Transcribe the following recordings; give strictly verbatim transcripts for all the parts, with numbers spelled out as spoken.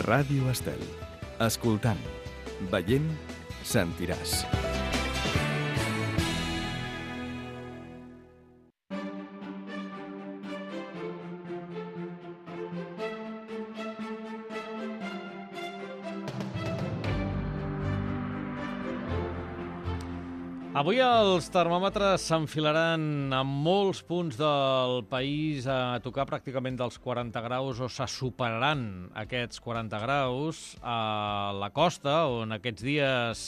Ràdio Estel. Escoltant, veient, sentiràs. Avui els termòmetres s'enfilaran en molts punts del país a tocar pràcticament dels quaranta graus o se superaran aquests quaranta graus a la costa, on aquests dies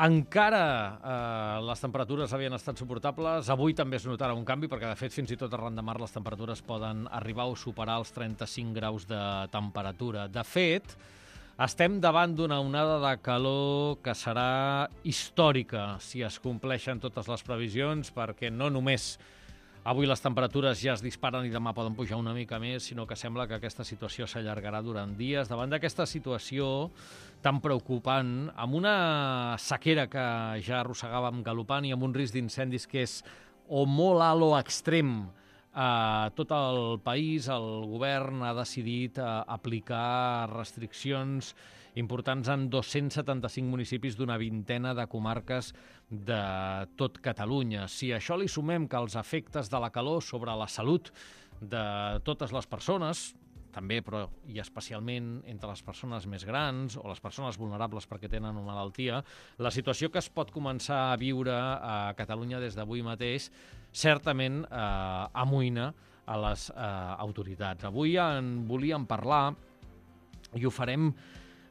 encara eh, les temperatures havien estat suportables. Avui també es notarà un canvi, perquè de fet fins i tot arran de mar les temperatures poden arribar o superar els trenta-cinc graus de temperatura. De fet, estem davant d'una onada de calor que serà històrica si es compleixen totes les previsions, perquè no només avui les temperatures ja es disparen i demà poden pujar una mica més, sinó que sembla que aquesta situació s'allargarà durant dies. Davant d'aquesta situació tan preocupant, amb una sequera que ja arrossegàvem galopant i amb un risc d'incendis que és o molt alt o extrem, a tot el país, el govern ha decidit uh, aplicar restriccions importants en dos-cents setanta-cinc municipis d'una vintena de comarques de tot Catalunya. Si a això li sumem que els efectes de la calor sobre la salut de totes les persones, també, però i especialment entre les persones més grans o les persones vulnerables perquè tenen una malaltia, la situació que es pot començar a viure a Catalunya des d'avui mateix certament eh, amoïna a les eh, autoritats. Avui en volíem parlar i ho farem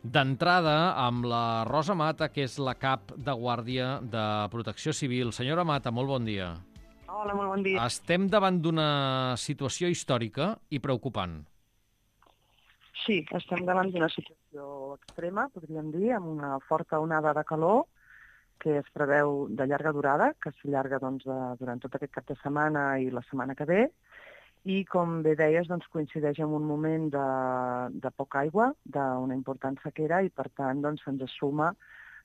d'entrada amb la Rosa Mata, que és la cap de Guàrdia de Protecció Civil. Senyora Mata, molt bon dia. Hola, molt bon dia. Estem davant d'una situació històrica i preocupant. Sí, estem davant d'una situació extrema, podríem dir, amb una forta onada de calor que es preveu de llarga durada, que s'allarga doncs, durant tot aquest cap de setmana i la setmana que ve, i com bé deies, doncs, coincideix amb un moment de, de poca aigua, d'una important sequera, i per tant doncs, se'ns suma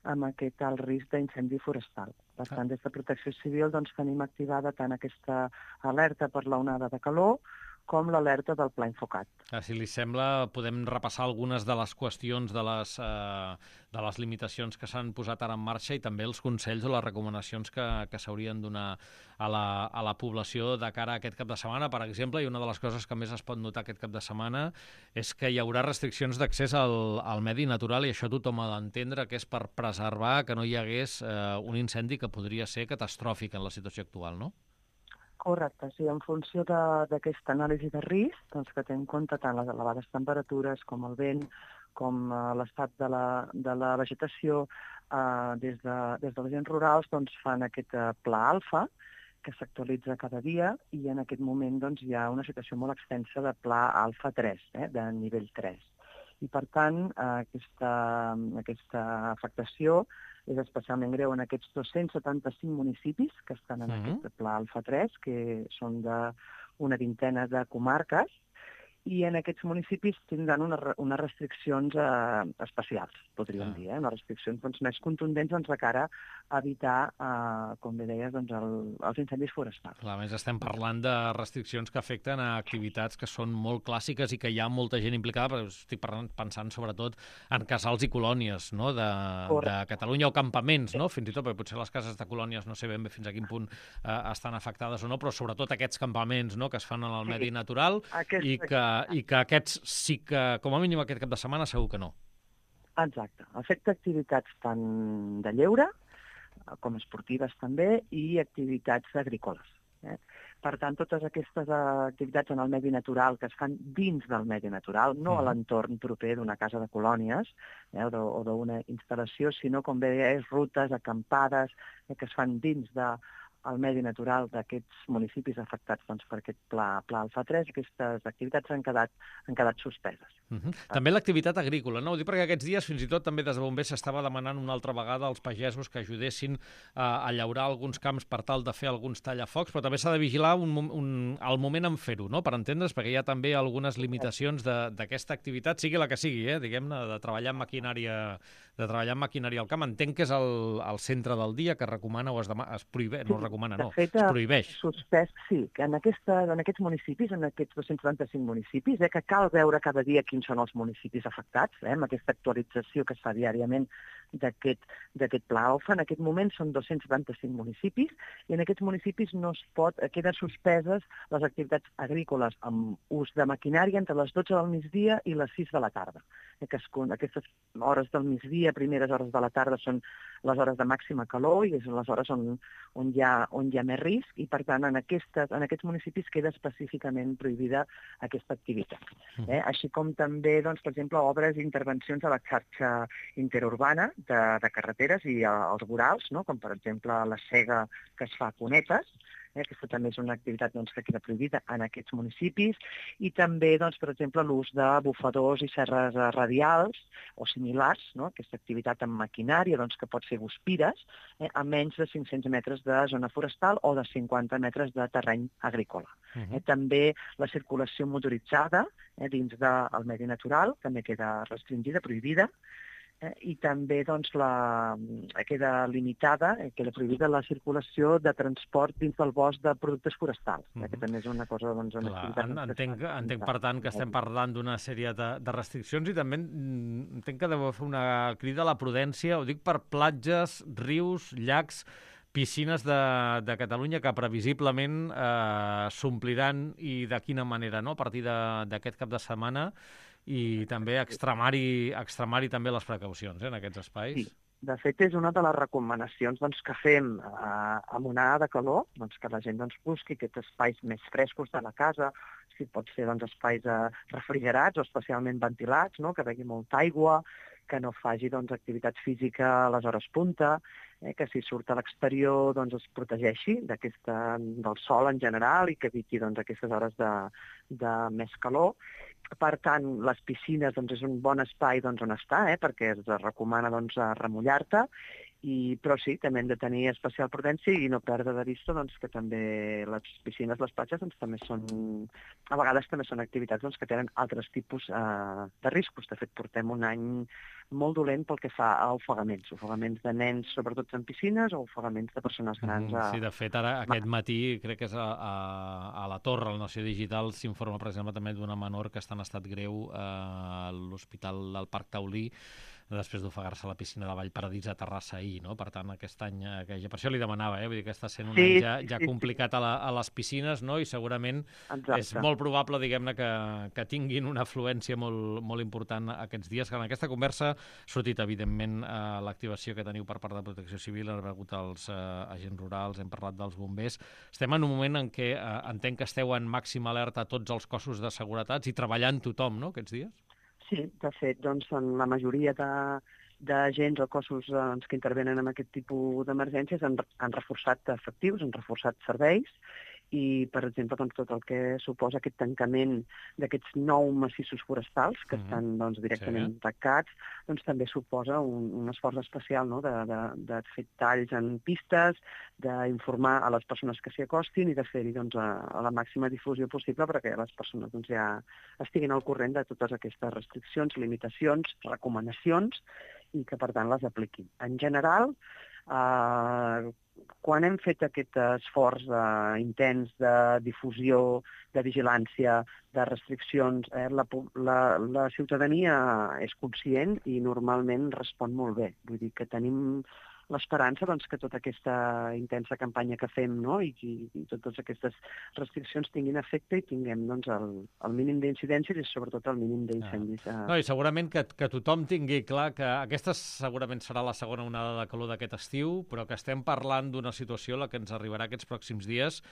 amb aquest alt risc d'incendi forestal. Per tant, des de Protecció Civil doncs, tenim activada tant aquesta alerta per la onada de calor com l'alerta del Pla Infocat. Ah, si li sembla, podem repassar algunes de les qüestions de les, eh, de les limitacions que s'han posat ara en marxa i també els consells o les recomanacions que, que s'haurien de donar a la, a la població de cara a aquest cap de setmana. Per exemple, i una de les coses que més es pot notar aquest cap de setmana és que hi haurà restriccions d'accés al, al medi natural, i això tothom ha d'entendre que és per preservar que no hi hagués eh, un incendi que podria ser catastròfic en la situació actual, no? Correcte, sí, en funció d'aquesta anàlisi de risc, doncs, que té en compte tant les elevades temperatures com el vent, com uh, l'estat de, la, de la vegetació, uh, des, de, des de les agents rurals doncs, fan aquest uh, pla alfa, que s'actualitza cada dia, i en aquest moment doncs, hi ha una situació molt extensa de pla alfa tres, eh, de nivell tres. I per tant, uh, aquesta, aquesta afectació és especialment greu en aquests dos-cents setanta-cinc municipis que estan en mm-hmm. aquest pla alfa tres, que són d'una vintena de comarques, i en aquests municipis tindran unes, unes restriccions eh, especials, podríem ah. dir, eh? unes restriccions doncs, més contundents doncs, de cara a evitar, eh, com bé deies, doncs, el, els incendis forestals. Clar, a més estem parlant de restriccions que afecten a activitats que són molt clàssiques i que hi ha molta gent implicada, però estic pensant sobretot en casals i colònies, no? de, de Catalunya, o campaments, no? Fins i tot, perquè potser les cases de colònies no sé ben bé fins a quin punt eh, estan afectades o no, però sobretot aquests campaments, no? que es fan en el sí. medi natural Aquest... i que i que aquests sí que, com a mínim aquest cap de setmana, segur que no. Exacte. Afecta activitats tant de lleure, com esportives també, i activitats agrícoles. Eh? Per tant, totes aquestes activitats en el medi natural que es fan dins del medi natural, no mm. a l'entorn proper d'una casa de colònies eh, o d'una instal·lació, sinó, com bé deies, rutes, acampades, eh, que es fan dins de el medi natural d'aquests municipis afectats doncs, per aquest pla, pla alfa tres, aquestes activitats han quedat, han quedat suspeses. Uh-huh. També l'activitat agrícola, no? Ho dic perquè aquests dies fins i tot també des de bombers s'estava demanant una altra vegada als pagesos que ajudessin a, a llaurar alguns camps per tal de fer alguns tallafocs, però també s'ha de vigilar un, un, el moment en fer-ho, no? Per entendre's, perquè hi ha també algunes limitacions d'aquesta activitat, sigui la que sigui, eh? diguem-ne, de treballar amb maquinària, de treballar amb maquinària al camp. Entenc que és el, el centre del dia que recomana o es, demà, es prohibeix, no recomana, recomana, de no, fet, es prohibeix. Suspès, sí, que en, aquesta, en aquests municipis, en aquests dos-cents setanta-cinc municipis, eh, que cal veure cada dia quins són els municipis afectats, eh, amb aquesta actualització que es fa diàriament d'aquest pla O F A. En aquest moment són dos-cents setanta-cinc municipis i en aquests municipis no es pot, queden suspeses les activitats agrícoles amb ús de maquinària entre les dotze del migdia i les sis de la tarda. Eh, que es, aquestes hores del migdia, primeres hores de la tarda, són les hores de màxima calor i són les hores on, on, hi, ha, on hi ha més risc i, per tant, en, aquestes, en aquests municipis queda específicament prohibida aquesta activitat. Eh? Així com també, doncs, per exemple, obres i intervencions a la xarxa interurbana de, de carreteres i als vorals, no? Com per exemple la sega que es fa a cunetes. Eh? Aquesta també és una activitat doncs, que queda prohibida en aquests municipis, i també, doncs, per exemple, l'ús de bufadors i serres radials o similars, no? Aquesta activitat amb maquinària, doncs, que pot ser guspires, eh? a menys de cinc-cents metres de zona forestal o de cinquanta metres de terreny agrícola. Uh-huh. eh? També la circulació motoritzada eh? dins del medi natural també queda restringida, prohibida. Eh, I també doncs, la, queda limitada, eh, queda prohibida la circulació de transport dins del bosc de productes forestals, eh, que també és una cosa... Doncs, una Clar, activitat entenc, entenc, per tant, que estem parlant d'una sèrie de, de restriccions i també entenc que deu fer una crida a la prudència, ho dic per platges, rius, llacs, piscines de, de Catalunya que previsiblement eh, s'ompliran, i de quina manera, no?, a partir d'aquest cap de setmana, i també extremar-hi extremar també les precaucions eh, en aquests espais. Sí. De fet, és una de les recomanacions doncs, que fem eh, amb onada de calor, doncs, que la gent doncs, busqui aquests espais més frescos de la casa, si pot ser doncs, espais eh, refrigerats o especialment ventilats, no? Que begui molta aigua, que no faci doncs, activitat física a les hores punta, eh, que si surt a l'exterior doncs, es protegeixi del sol en general i que eviti doncs, aquestes hores de, de més calor. Per tant, les piscines doncs, és un bon espai doncs, on estar, eh, perquè es recomana doncs, remullar-te, i, però sí, també hem de tenir especial prudència i no perdre de vista doncs, que també les piscines, les platges, doncs, també són, a vegades també són activitats doncs, que tenen altres tipus eh, de riscos. De fet, portem un any molt dolent pel que fa a ofegaments, ofegaments de nens, sobretot en piscines, o ofegaments de persones grans. A... Sí, de fet, ara aquest matí, crec que és a, a, a la Torre, a la Nació Digital, s'informa, per exemple, també d'una menor que està en estat greu a l'Hospital del Parc Taulí, després d'ofegar-se a la piscina de Vallparadís a Terrassa ahir, no? Per tant, aquest any, que ja per això li demanava, eh? Vull dir que està sent un sí, any ja, ja complicat a, la, a les piscines, no? I segurament Exacte. És molt probable, diguem-ne, que, que tinguin una afluència molt, molt important aquests dies. Que en aquesta conversa ha sortit, evidentment, eh, l'activació que teniu per part de Protecció Civil, han rebut els eh, agents rurals, hem parlat dels bombers. Estem en un moment en què eh, entenc que esteu en màxima alerta tots els cossos de seguretat i treballant tothom, no?, aquests dies? Sí, de fet, doncs, en la majoria de, d'agents o cossos doncs, que intervenen en aquest tipus d'emergències han, han reforçat efectius, han reforçat serveis, i, per exemple, doncs, tot el que suposa aquest tancament d'aquests nou massissos forestals que mm-hmm. estan doncs, directament sí. tancats, doncs, també suposa un, un esforç especial, no?, de, de, de fer talls en pistes, d'informar a les persones que s'hi acostin i de fer-hi doncs, a, a la màxima difusió possible perquè les persones doncs, ja estiguin al corrent de totes aquestes restriccions, limitacions, recomanacions i que, per tant, les apliquin. En general, eh, quan hem fet aquest esforç eh, intens de difusió, de vigilància, de restriccions, eh, la, la, la ciutadania és conscient i normalment respon molt bé. Vull dir que tenim l'esperança doncs, que tota aquesta intensa campanya que fem, no?, i, i, i totes aquestes restriccions tinguin efecte i tinguem doncs, el, el mínim d'incidències i sobretot el mínim d'incendis. Ah. No, i segurament que, que tothom tingui clar que aquesta segurament serà la segona onada de calor d'aquest estiu, però que estem parlant d'una situació la que ens arribarà aquests pròxims dies.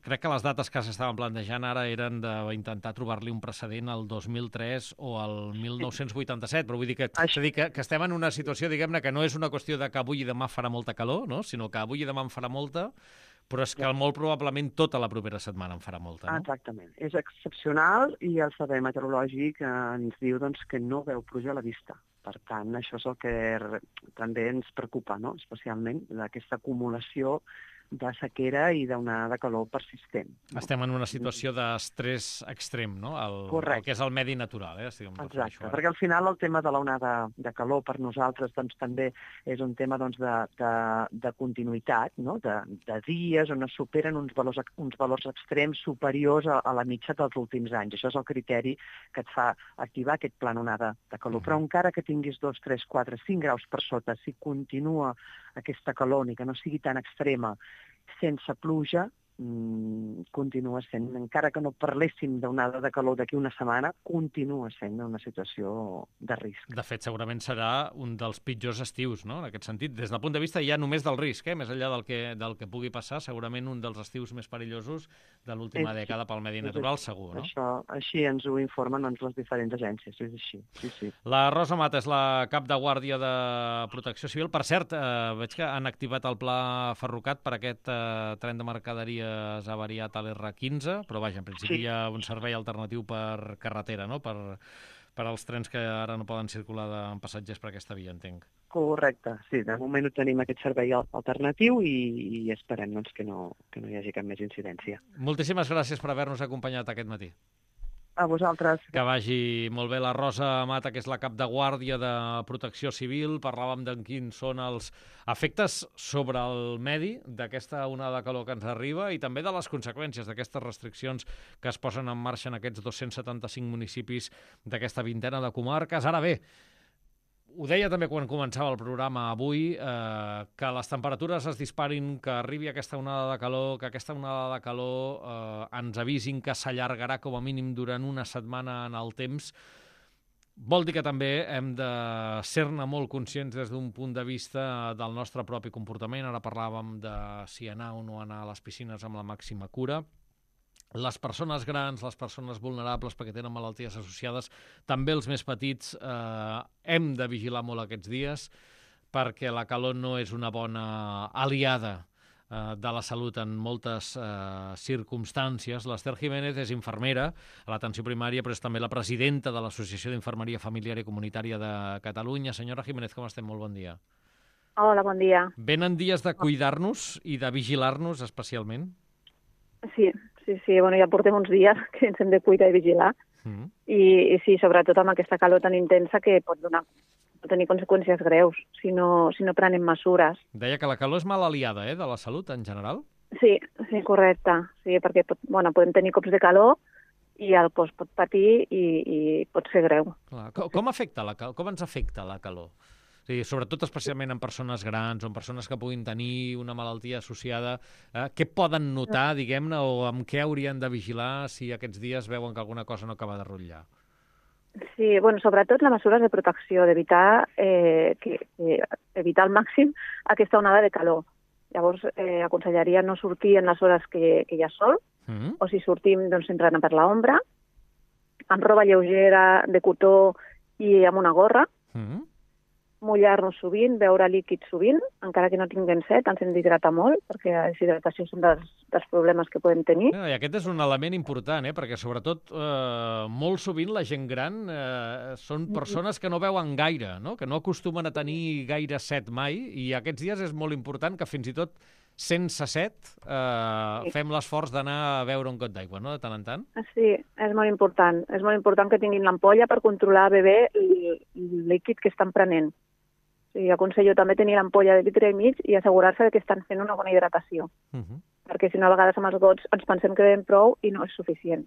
Crec que les dates que s'estaven plantejant ara eren d'intentar trobar-li un precedent al dos mil tres o al mil nou-cents vuitanta-set, però vull dir que, Això... dir que, que estem en una situació, diguem-ne, que no és una qüestió de que avui i demà farà molta calor, no?, sinó que avui i demà en farà molta, però és que molt probablement tota la propera setmana en farà molta, no? Exactament. És excepcional i el servei meteorològic ens diu doncs, que no veu pluja a la vista. Per tant, això és el que també ens preocupa, no?, especialment d'aquesta acumulació de sequera i d'onada de calor persistent. No? Estem en una situació d'estrès extrem, no? El, Correcte. El que és el medi natural, eh? Estic Exacte, això, perquè al final el tema de l'onada de calor per nosaltres doncs, també és un tema doncs, de, de, de continuïtat, no? de, de dies on es superen uns valors, uns valors extrems superiors a, a la mitja dels últims anys. Això és el criteri que et fa activar aquest pla onada de calor. Però encara que tinguis dos, tres, quatre, cinc graus per sota, si continua aquesta calor ni que no sigui tan extrema, sense pluja, mmm, continua sent, encara que no parléssim d'onada de calor d'aquí una setmana, continua sent una situació de risc. De fet, segurament serà un dels pitjors estius, no?, en aquest sentit. Des del punt de vista ja només del risc, eh? Més enllà del que, del que pugui passar, segurament un dels estius més perillosos de l'última dècada pel medi natural, segur, no? Això, així ens ho informen doncs, les diferents agències, és així. Sí, sí. La Rosa Mata és la cap de guàrdia de Protecció Civil. Per cert, eh, veig que han activat el pla Ferrocat per aquest eh, tren de mercaderies avariat a l'R quinze, però vaja, en principi Sí. hi ha un servei alternatiu per carretera, no?, per, per als trens que ara no poden circular de, amb passatgers per aquesta via, entenc. Correcte, sí, de moment no tenim aquest servei alternatiu i, i esperem doncs, que, no, que no hi hagi cap més incidència. Moltíssimes gràcies per haver-nos acompanyat aquest matí. A vosaltres. Que vagi molt bé. La Rosa Mata, que és la cap de guàrdia de Protecció Civil. Parlàvem de quins són els efectes sobre el medi d'aquesta onada de calor que ens arriba i també de les conseqüències d'aquestes restriccions que es posen en marxa en aquests dos-cents setanta-cinc municipis d'aquesta vintena de comarques. Ara bé, ho deia també quan començava el programa avui, eh, que les temperatures es disparin, que arribi aquesta onada de calor, que aquesta onada de calor eh, ens avisin que s'allargarà com a mínim durant una setmana en el temps, vol dir que també hem de ser-ne molt conscients des d'un punt de vista del nostre propi comportament. Ara parlàvem de si anar o no anar a les piscines amb la màxima cura. Les persones grans, les persones vulnerables perquè tenen malalties associades, també els més petits, eh, hem de vigilar molt aquests dies perquè la calor no és una bona aliada eh, de la salut en moltes eh, circumstàncies. L'Ester Jiménez és infermera a l'atenció primària, però és també la presidenta de l'Associació d'Infermeria Familiar i Comunitària de Catalunya. Senyora Jiménez, com estem? Molt bon dia. Hola, bon dia. Venen dies de cuidar-nos i de vigilar-nos especialment? Sí, sí, sí. Bueno, ja portem uns dies que ens hem de cuidar i vigilar. Mm. I, i sí, sobretot amb aquesta calor tan intensa que pot donar pot tenir conseqüències greus si no, si no prenem mesures. Deia que la calor és mal aliada, eh, de la salut en general? Sí, sí, correcte. Sí, perquè pot, bueno, podem tenir cops de calor i el cos pot patir i, i pot ser greu. Clar. Com, com afecta la calor? Com ens afecta la calor? O sigui, sobretot especialment en persones grans o en persones que puguin tenir una malaltia associada, eh, què poden notar, diguem-ne, o amb què haurien de vigilar si aquests dies veuen que alguna cosa no acaba de rotllar? Sí, bueno, sobretot les mesures de protecció, d'evitar eh, que, que, evitar al màxim aquesta onada de calor. Llavors, eh, aconsellaria no sortir en les hores que, que hi ha sol, Mm. o si sortim, doncs, sempre anar per l'ombra, amb roba lleugera, de cotó i amb una gorra, Mm. mullar-nos sovint, beure líquid sovint, encara que no tinguem set, ens hem d'hidratar molt, perquè la deshidratació és un dels, dels problemes que podem tenir. I aquest és un element important, eh? Perquè sobretot eh, molt sovint la gent gran eh, són persones que no beuen gaire, no? Que no acostumen a tenir gaire set mai, i aquests dies és molt important que fins i tot sense set eh, Sí. fem l'esforç d'anar a beure un got d'aigua, no?, de tant en tant. Sí, és molt important. És molt important que tinguin l'ampolla per controlar bé el, el líquid que estan prenent. Sí, aconsello també tenir l'ampolla de litre i mig i assegurar-se que estan fent una bona hidratació, Uh -huh. perquè si no a vegades amb els gots ens pensem que bevem prou i no és suficient.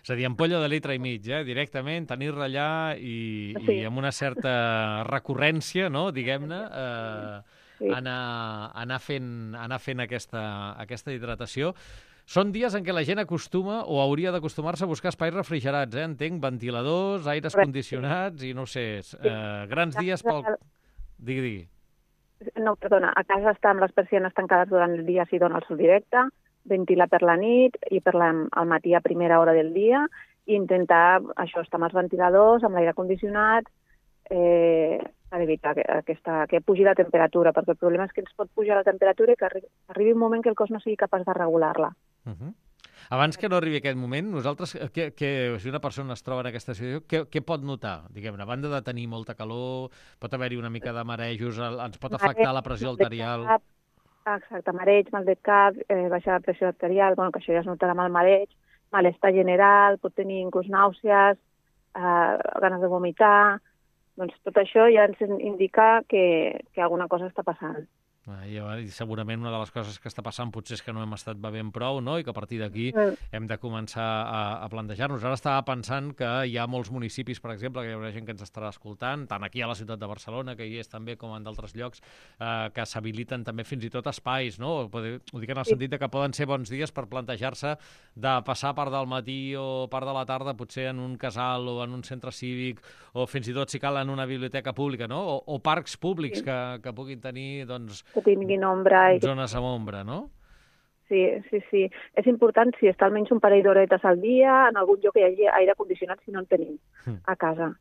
És a dir, ampolla de litre i mig, eh? Directament, tenir-la allà i, Sí. i amb una certa recurrència, no?, diguem-ne, eh, Sí. anar, anar fent, anar fent aquesta, aquesta hidratació. Són dies en què la gent acostuma o hauria d'acostumar-se a buscar espais refrigerats, eh? Entenc, ventiladors, aires Correcte. condicionats i no sé, eh, grans dies pel... Digui, digui. No, perdona, a casa estar amb les persianes tancades durant el dia si dona el sol directe, ventilar per la nit i per la, al matí a primera hora del dia, i intentar això, estar amb els ventiladors, amb l'aire condicionat, eh, per evitar que, aquesta, que pugi la temperatura, perquè el problema és que ens pot pujar la temperatura i que arri arribi un moment que el cos no sigui capaç de regular-la. Uh -huh. Abans que no arribi aquest moment, nosaltres, que, que, si una persona es troba en aquesta situació, què, què pot notar? Diguem-ne, a banda de tenir molta calor, pot haver-hi una mica de marejos, el, ens pot afectar la pressió arterial... Exacte, mareig, mal de cap, eh, baixa la pressió arterial, bueno, que això ja es notarà amb el mareig, malestar general, pot tenir inclús nàusees, eh, ganes de vomitar. Doncs tot això ja ens indica que, que alguna cosa està passant. Ah, i segurament una de les coses que està passant potser és que no hem estat bevent prou, no? I que a partir d'aquí Mm. hem de començar a, a plantejar-nos. Ara estava pensant que hi ha molts municipis, per exemple, que hi haurà gent que ens estarà escoltant, tant aquí a la ciutat de Barcelona, que hi és també, com en d'altres llocs, eh, que s'habiliten també fins i tot espais, no? Ho dic en el Sí. sentit de que poden ser bons dies per plantejar-se de passar part del matí o part de la tarda, potser en un casal o en un centre cívic, o fins i tot, si cal, en una biblioteca pública, no? O, o parcs públics Sí. que, que puguin tenir, doncs, Que tinguin ombra. I que... zones amb ombra, no? Sí, sí, sí. És important si està almenys un parell d'horetes al dia en algun lloc que hi hagi aire condicionat, si no en tenim a casa.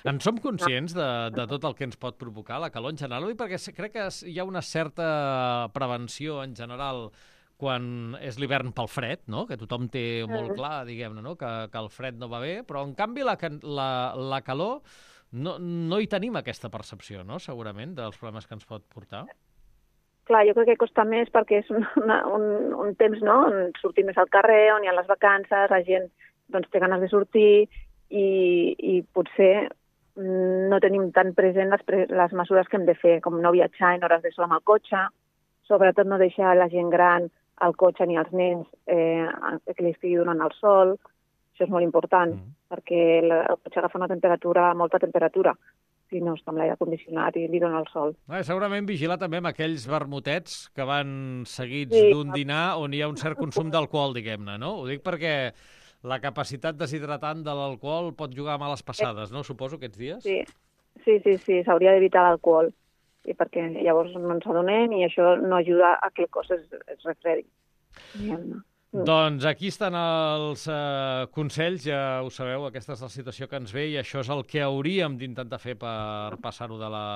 En som conscients de, de tot el que ens pot provocar la calor en general? Oi? Perquè crec que hi ha una certa prevenció en general quan és l'hivern pel fred, no? Que tothom té molt clar, diguem-ne, no? que, que el fred no va bé, però en canvi la, la, la calor no, no hi tenim aquesta percepció, no? Segurament, dels problemes que ens pot portar. Clar, jo crec que costa més perquè és un, una, un, un temps, no?, on sortim més al carrer, on hi ha les vacances, la gent doncs, té ganes de sortir i, i potser no tenim tan present les, pre les mesures que hem de fer, com no viatjar en hores de sol amb el cotxe, sobretot no deixar la gent gran al cotxe ni als nens eh, que li estigui donant el sol. Això és molt important, mm. perquè el cotxe agafa una temperatura, molta temperatura, si no està amb l'aire condicionat i li dona el sol. Ah, segurament vigilar també amb aquells vermutets que van seguits Sí. d'un dinar on hi ha un cert consum d'alcohol, diguem-ne, no? Ho dic perquè la capacitat deshidratant de l'alcohol pot jugar a males passades, no? Suposo, aquests dies? Sí, sí, sí, sí s'hauria d'evitar l'alcohol, i perquè llavors no ens adonem i això no ajuda a que el cos es, es refredi. Diguem-ne. Mm. Doncs aquí estan els eh, consells, ja ho sabeu, aquesta és la situació que ens ve i això és el que hauríem d'intentar fer per passar-ho de, la,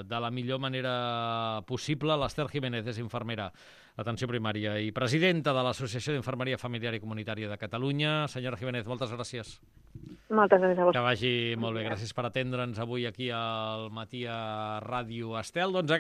de la millor manera possible. L'Ester Jiménez és infermera d'atenció primària i presidenta de l'Associació d'Infermeria Familiar i Comunitària de Catalunya. Senyora Jiménez, moltes gràcies. Moltes gràcies a vosaltres. Que vagi molt bé. Gràcies per atendre'ns avui aquí al Matí a Ràdio Estel. Doncs aquesta